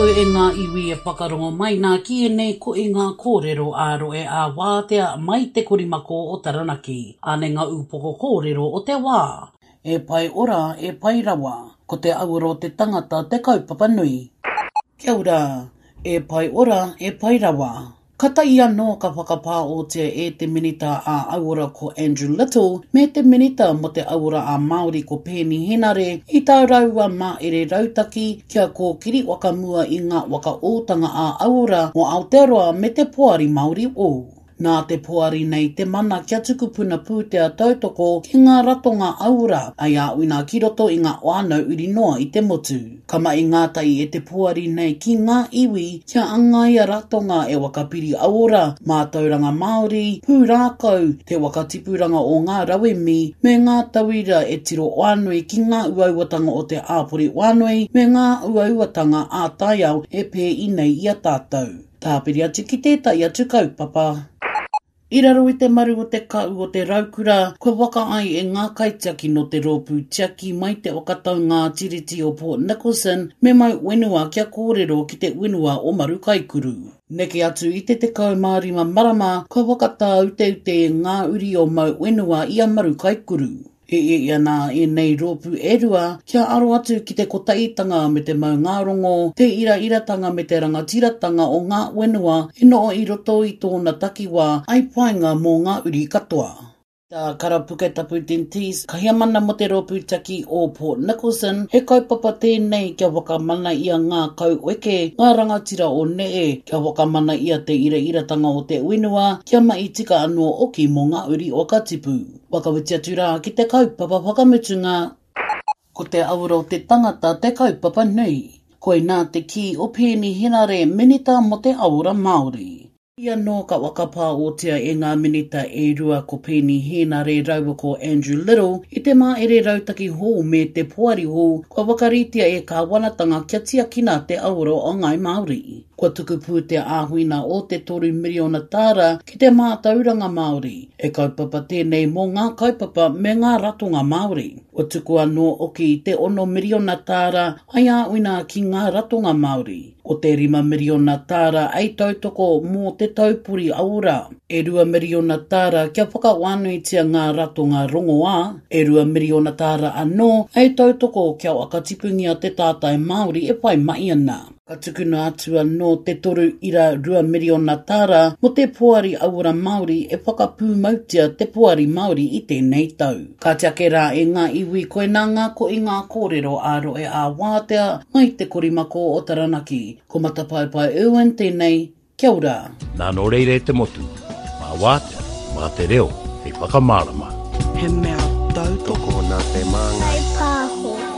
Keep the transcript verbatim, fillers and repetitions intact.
koutou e ngā iwi e whakarongo mai nā ki ēnei ko i ngā kōrero ā-rohe ā-wātea mai te korimako o Taranaki. Ānei ngā ūpoko kōrero o te wā. E pai ora, e pai rawa. Ko te auoro o te tangata te kaupapa nui. Kia ora, e pai ora, e pai rawa. Ka tai anō ka whakapāotia e te Minita ā-Auora ko Andrew Little me te Minita mō te Auora ā-Māori ko Peeni Henare i tā rāua maere rautaki kia kōkiri whakamua i ngā whakaōtanga ā-auora o Aotearoa me te Poari Māori o. Nā te poari nei te mana kia tuku puna pūtea tautoko ki ngā ratonga auora ai āwina ki roto i ngā whānau uri noa i te motu. Ka mahi ngātahi e te poari nei ki ngā iwi kia angaia ratonga e whakapiri auora, mātauranga Māori, pūrākau, te whakatipuranga o ngā rauemi, me ngā tauira e tiro whānui ki ngā uauatanga o te āpori whānui me ngā uauatanga ā-taiao e pēi nei i a tātou. Tāpiri atu ki tētahi atu kaupapa. I raro i te maru o te kau o te raukura, kua waka ai e ngā kaitiaki no te rōpū tiaki mai te whakatau ngā tiriti o Port Nicholson me mau whenua kia kōrero ki te whenua o Marukaikuru. Neke atu i te tekau mā rima marama, kua whakatāuteute ngā uri o mau whenua i a Marukaikuru. E e ana ēnei rōpū e rua kia aro atu ki te kotaitanga me te maungārongo, te irairatanga me te rangatiratanga o ngā whenua e noho i roto i tōna takiwā ai painga mō ngā uri katoa. Tā Kara Puketapu Dentiste, kahiamana mō te rōpū tiaki o Port Nicholson, he kaupapa tēnei kia whakamana ia ngā kauweke, ngā rangatira o nehe, kia whakamana ia te irairatanga o te whenua, kia mahi tika anō oki mō ngā uri whakatipu. Whakawhiti atu rā ki te kaupapa whakamutunga. Ko te auora o te tangata te kaupapa nui. Koinā te kī o Peeni Henare, Minita mō te Auora Māori. I anō ka whakapāotia e ngā minita e rua ko Peeni Henare rāua ko Andrew Little i te maere rautaki hou me te poari hou kua whakaritea e kāwanatanga kia tiakina te auora o Ngāi Māori. Kua tuku pūtea āwhina o te toru miriona tāra ki te mātauranga Māori. E kaupapa tēnei mō ngā kaupapa me ngā ratonga Māori. Kua tuku anō oki te ono miriona tāra ai āwhina ki ngā ratonga Māori. Ko te rima miriona tāra ai tautoko mō te taupori auora. E rua miriona tāra kia whakawānuitia ngā ratonga rongoā. E rua miriona tāra anō ai tautoko kia whakatipungia te tātai Māori e whai mai ana. Ka tukuna atu anō te toru ira rua miriona tāra mō te poari auora Māori e whakapūmautia te poari Māori i tēnei tau. Ka tiake rā e ngā iwi koinā ngā ko i ngā kōrero ā-rohe ā-wātea mai te korimako o Taranaki. Ko Matapaepae Irwin tēnei, kia ora. Nā nō reira e te motu, mā wātea, mā te reo, hei whakamārama. He mea tautoko Tokona te māngai. Pāho.